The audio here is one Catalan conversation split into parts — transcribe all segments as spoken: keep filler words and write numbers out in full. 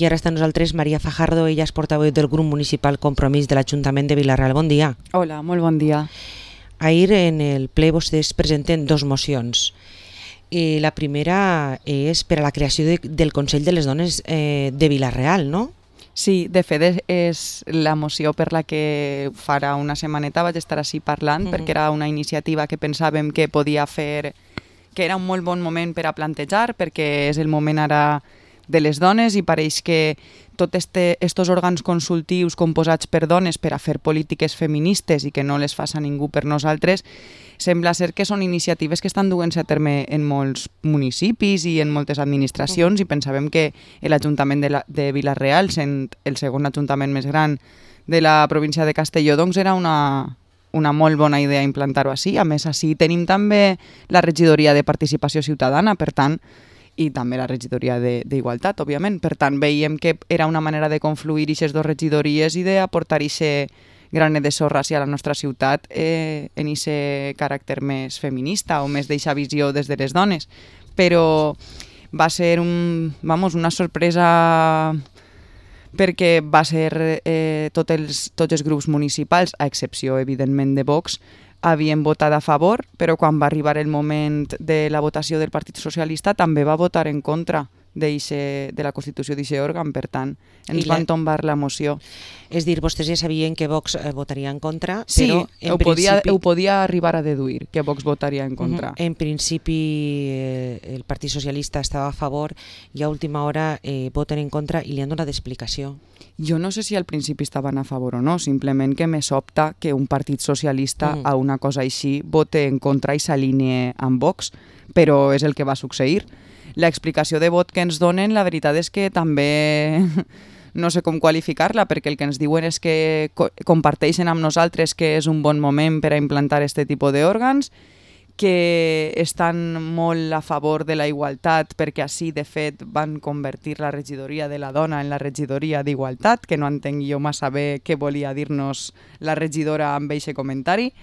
I ara està amb nosaltres Maria Fajardo, ella és portaveu del grup municipal Compromís de l'Ajuntament de Vila-real. Bon dia. Hola, molt bon dia. Ahir en el ple vostès presenten dos mocions. Eh, la primera és per a la creació de, del Consell de les Dones eh, de Vila-real, no? Sí, de fet és la moció per la que farà una setmaneta vaig estar així parlant, uh-huh. perquè era una iniciativa que pensàvem que podia fer, que era un molt bon moment per a plantejar, perquè és el moment ara de les dones i pareix que tots este, estos òrgans consultius composats per dones per a fer polítiques feministes i que no les faça ningú per nosaltres, sembla ser que són iniciatives que estan duent-se a terme en molts municipis i en moltes administracions uh-huh. i pensàvem que l'Ajuntament de, la, de Vila-real, sent el segon ajuntament més gran de la província de Castelló, doncs era una, una molt bona idea implantar-ho així. A més, així tenim també la regidoria de participació ciutadana, per tant, i també la regidoria d'Igualtat, òbviament. Per tant, veiem que era una manera de confluir aquestes dues regidories i d'aportar aquest granet de sorra hacia la nostra ciutat eh, en aquest caràcter més feminista o més d'eixa visió des de les dones. Però va ser un, vamos, una sorpresa perquè va ser eh, tots els, tots els grups municipals, a excepció, evidentment, de Vox, havien votat a favor, però quan va arribar el moment de la votació del Partit Socialista també va votar en contra de la Constitució d'aquest òrgan, per tant, ens van tombar la moció. És dir, vostès ja sabien que Vox eh, votaria en contra, sí, però en ho podia, principi... ho podia arribar a deduir, que Vox votaria en contra. Uh-huh. En principi eh, el Partit Socialista estava a favor i a última hora eh, voten en contra i li han donat explicació. Jo no sé si al principi estaven a favor o no, simplement que me sobta que un partit socialista uh-huh. a una cosa així vote en contra i s'alinee amb Vox, però és el que va succeir. L'explicació de vot que ens donen, la veritat és que també no sé com qualificar-la, perquè el que ens diuen és que co- comparteixen amb nosaltres que és un bon moment per a implantar aquest tipus d'òrgans, que estan molt a favor de la igualtat perquè així, de fet, van convertir la regidoria de la dona en la regidoria d'Igualtat, que no entenc jo massa bé què volia dir-nos la regidora amb aquest comentari,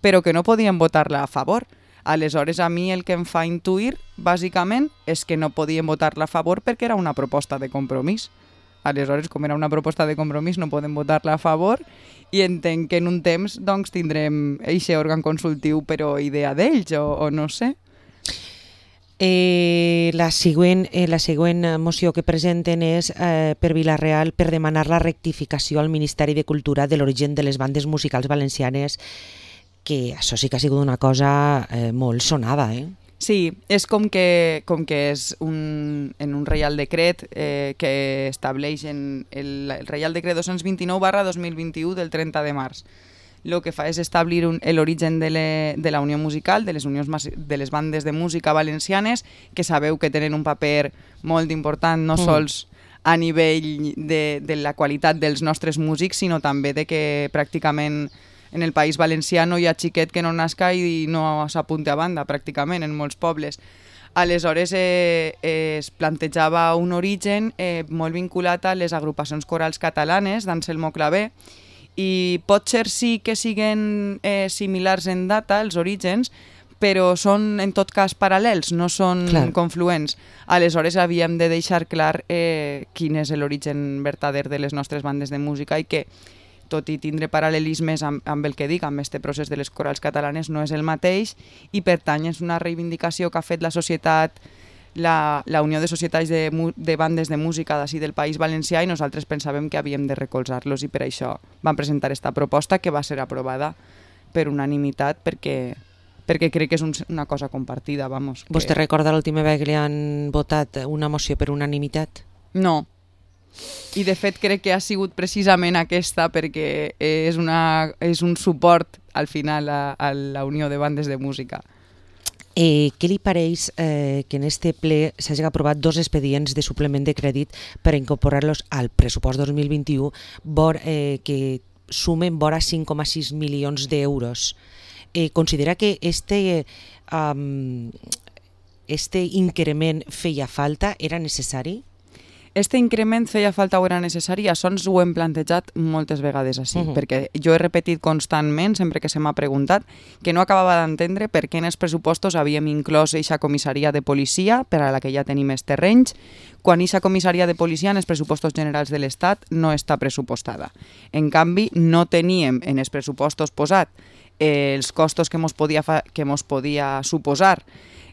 però que no podien votar-la a favor. Aleshores, a mi el que em fa intuir, bàsicament, és que no podien votar-la a favor perquè era una proposta de compromís. Aleshores, com era una proposta de compromís, no podem votar-la a favor i entenc que en un temps doncs, tindrem aquest òrgan consultiu, però idea d'ells, o, o no sé. Eh, la, següent, eh, la següent moció que presenten és eh, per Vila-real per demanar la rectificació al Ministeri de Cultura de l'origen de les bandes musicals valencianes, que això sí que ha sigut una cosa eh, molt sonada, eh? Sí, és com que, com que és un, en un Reial Decret eh, que estableix en el, el Reial Decret dos-cents vint-i-nou barra dos mil vint-i-u del trenta de març. El que fa és establir l'origen de, le, de la unió musical, de les, unions, de les bandes de música valencianes, que sabeu que tenen un paper molt important, no mm. sols a nivell de, de la qualitat dels nostres músics, sinó també de que pràcticament en el País Valencià no hi ha xiquet que no nasca i no s'apunti a banda, pràcticament, en molts pobles. Aleshores eh, eh, es plantejava un origen eh, molt vinculat a les agrupacions corals catalanes d'Anselmo Clavé i pot ser sí que siguen eh, similars en data, els orígens, però són en tot cas paral·lels, no són clar. Confluents. Aleshores havíem de deixar clar eh, quin és l'origen verdader de les nostres bandes de música i que tot i tindre paral·lelismes amb, amb el que dic, amb este procés de les corals catalanes, no és el mateix i per tant és una reivindicació que ha fet la societat, la, la Unió de Societats de, de Bandes de Música d'ací del País Valencià i nosaltres pensàvem que havíem de recolzar-los i per això vam presentar esta proposta que va ser aprovada per unanimitat perquè, perquè crec que és un, una cosa compartida. Vamos, que... Vostè recorda l'última vegada que li han votat una moció per unanimitat? No. I de fet crec que ha sigut precisament aquesta perquè és, una, és un suport al final a, a la Unió de Bandes de Música. Eh, què li pareix eh, que en este ple s'hagi aprovat dos expedients de suplement de crèdit per incorporar-los al pressupost dos mil vint-i-u vor, eh, que sumen vora cinc coma sis milions d'euros? Eh, considera que este, um, este increment feia falta, era necessari? Este increment feia falta o era necessari, això ens ho hem plantejat moltes vegades així, uh -huh. perquè jo he repetit constantment, sempre que se m'ha preguntat, que no acabava d'entendre per què en els pressupostos havíem inclòs eixa comissaria de policia, per a la que ja tenim els terrenys, quan eixa comissaria de policia en els pressupostos generals de l'Estat no està pressupostada. En canvi, no teníem en els pressupostos posat eh, els costos que mos podia, fa, que mos podia suposar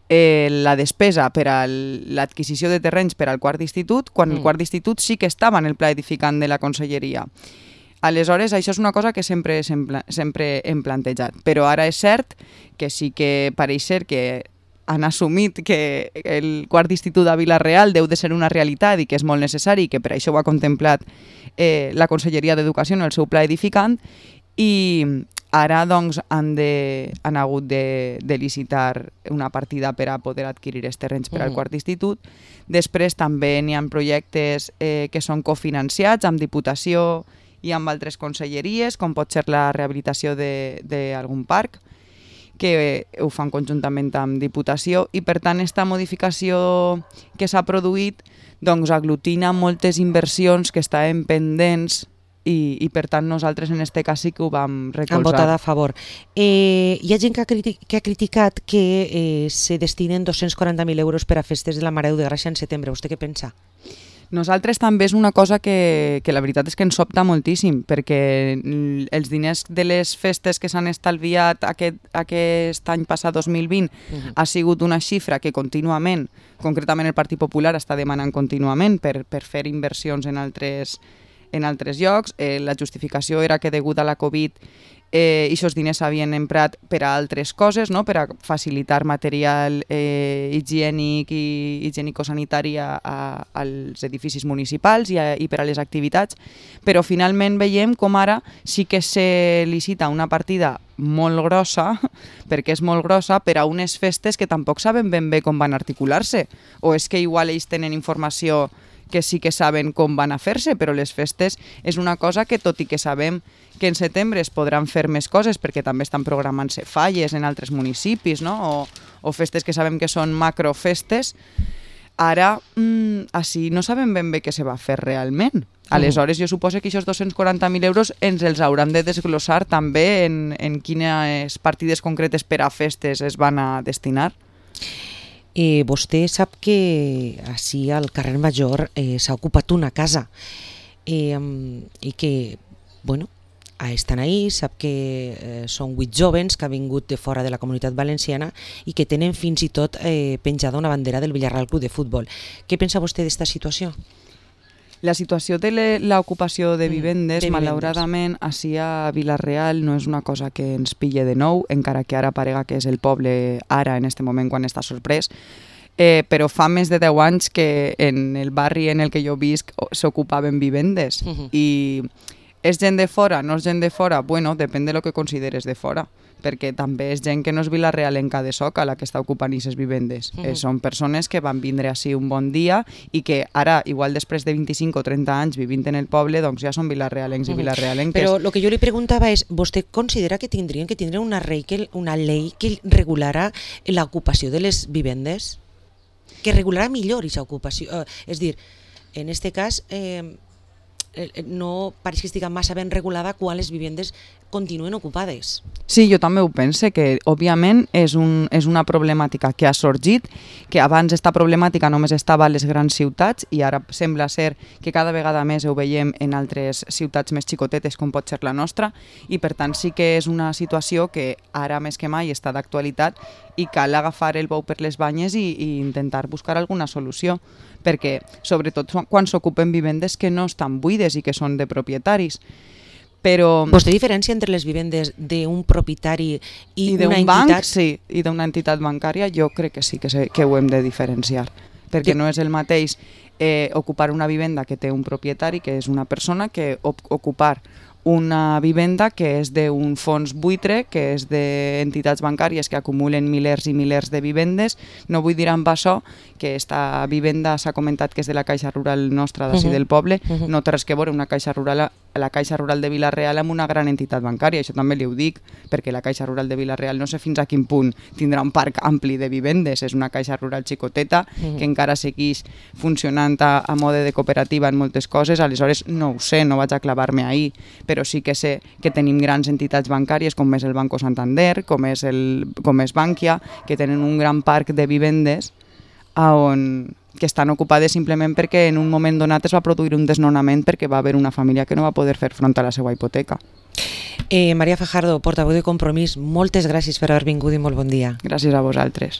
Eh, la despesa per a l'adquisició de terrenys per al quart d'institut, quan mm. el quart d'institut sí que estava en el pla edificant de la conselleria. Aleshores, això és una cosa que sempre, sempre, sempre hem plantejat, però ara és cert que sí que pareix ser que han assumit que el quart d'institut a Vila-real deu de ser una realitat i que és molt necessari i que per això ho ha contemplat eh, la Conselleria d'Educació en el seu pla edificant, i ara doncs, han, de, han hagut de, de licitar una partida per a poder adquirir els terrenys per al quart d'institut. Després també n'hi ha projectes eh, que són cofinanciats amb Diputació i amb altres conselleries, com pot ser la rehabilitació d'algun parc, que ho fan conjuntament amb Diputació, i per tant aquesta modificació que s'ha produït doncs, aglutina moltes inversions que estaven pendents. I, i per tant nosaltres en aquest cas sí que ho vam recolzar. Han votat a favor. Eh, hi ha gent que ha, criti que ha criticat que eh, se destinen dos-cents quaranta mil euros per a festes de la Mare de Gràcia en setembre. Vostè què pensa? Nosaltres també és una cosa que, que la veritat és que ens sobta moltíssim, perquè els diners de les festes que s'han estalviat aquest, aquest any passat, dos mil vint, uh-huh. ha sigut una xifra que contínuament, concretament el Partit Popular està demanant contínuament per, per fer inversions en altres en altres llocs. Eh, la justificació era que degut a la Covid eh, aquests diners s'havien emprat per a altres coses, no? Per a facilitar material eh, higiènic i higiènico-sanitari a, a, als edificis municipals i, a, i per a les activitats, però finalment veiem com ara sí que se licita una partida molt grossa, perquè és molt grossa, per a unes festes que tampoc saben ben bé com van articular-se, o és que igual ells tenen informació que sí que saben com van a fer-se, però les festes és una cosa que, tot i que sabem que en setembre es podran fer més coses, perquè també estan programant-se falles en altres municipis, no? o, o festes que sabem que són macrofestes, ara mmm, així no sabem ben bé què se va fer realment. Aleshores, jo suposo que aquests dos-cents quaranta mil euros ens els hauran de desglossar també en, en quines partides concretes per a festes es van a destinar. Eh, vostè sap que així al carrer Major eh, s'ha ocupat una casa eh, i que, bueno, estan ahí, sap que eh, són vuit jovens que han vingut de fora de la Comunitat Valenciana i que tenen fins i tot eh, penjada una bandera del Villarreal Club de Futbol. Què pensa vostè d'esta situació? La situació de l'ocupació de vivendes, mm, malauradament, així a Vila-real no és una cosa que ens pille de nou, encara que ara parega que és el poble ara, en aquest moment, quan està sorprès, eh, però fa més de deu anys que en el barri en el que jo visc s'ocupaven vivendes. Mm-hmm. I és gent de fora, no és gent de fora? Bueno, depèn de lo que consideres de fora, perquè també és gent que no és Vila-realenca de Soca la que està ocupant aquestes vivendes. Uh-huh. eh, són persones que van vindre així un bon dia i que ara, igual després de vint-i-cinc o trenta anys vivint en el poble, doncs ja són Vila-realencs uh-huh. i Vila-realenques. Però el que jo li preguntava és, vostè considera que tindrien que tindre una llei que, una llei que regularà l'ocupació de les vivendes? Que regularà millor aquesta ocupació? Eh, és dir, en aquest cas... Eh, no pareix que estigui massa ben regulada quan les vivendes continuen ocupades. Sí, jo també ho pense, que òbviament és, un, és una problemàtica que ha sorgit, que abans esta problemàtica només estava a les grans ciutats i ara sembla ser que cada vegada més ho veiem en altres ciutats més xicotetes com pot ser la nostra, i per tant sí que és una situació que ara més que mai està d'actualitat i cal agafar el bou per les banyes i, i intentar buscar alguna solució, perquè sobretot quan s'ocupen vivendes que no estan buides i que són de propietaris. Però... Vostè diferència entre les vivendes d'un propietari i, I una d'un entitat? banc, sí, i d'una entitat bancària jo crec que sí que, se, que ho hem de diferenciar, perquè que... no és el mateix eh, ocupar una vivenda que té un propietari, que és una persona, que op ocupar una vivenda que és d'un fons buitre, que és d'entitats bancàries que acumulen milers i milers de vivendes. No vull dir amb això que esta vivenda s'ha comentat que és de la Caixa Rural nostra d'ací uh -huh. del poble, uh -huh. no té res que veure una Caixa Rural, la Caixa Rural de Vila-real amb una gran entitat bancària, això també li ho dic, perquè la Caixa Rural de Vila-real no sé fins a quin punt tindrà un parc ampli de vivendes, és una Caixa Rural xicoteta uh -huh. que encara segueix funcionant funcionant a, a mode de cooperativa en moltes coses, aleshores no ho sé, no vaig a clavar-me ahí, però sí que sé que tenim grans entitats bancàries com és el Banco Santander, com és, el, com és Bankia, que tenen un gran parc de vivendes on, que estan ocupades simplement perquè en un moment donat es va produir un desnonament perquè va haver una família que no va poder fer front a la seva hipoteca. Eh, Maria Fajardo, portaveu de Compromís, moltes gràcies per haver vingut i molt bon dia. Gràcies a vosaltres.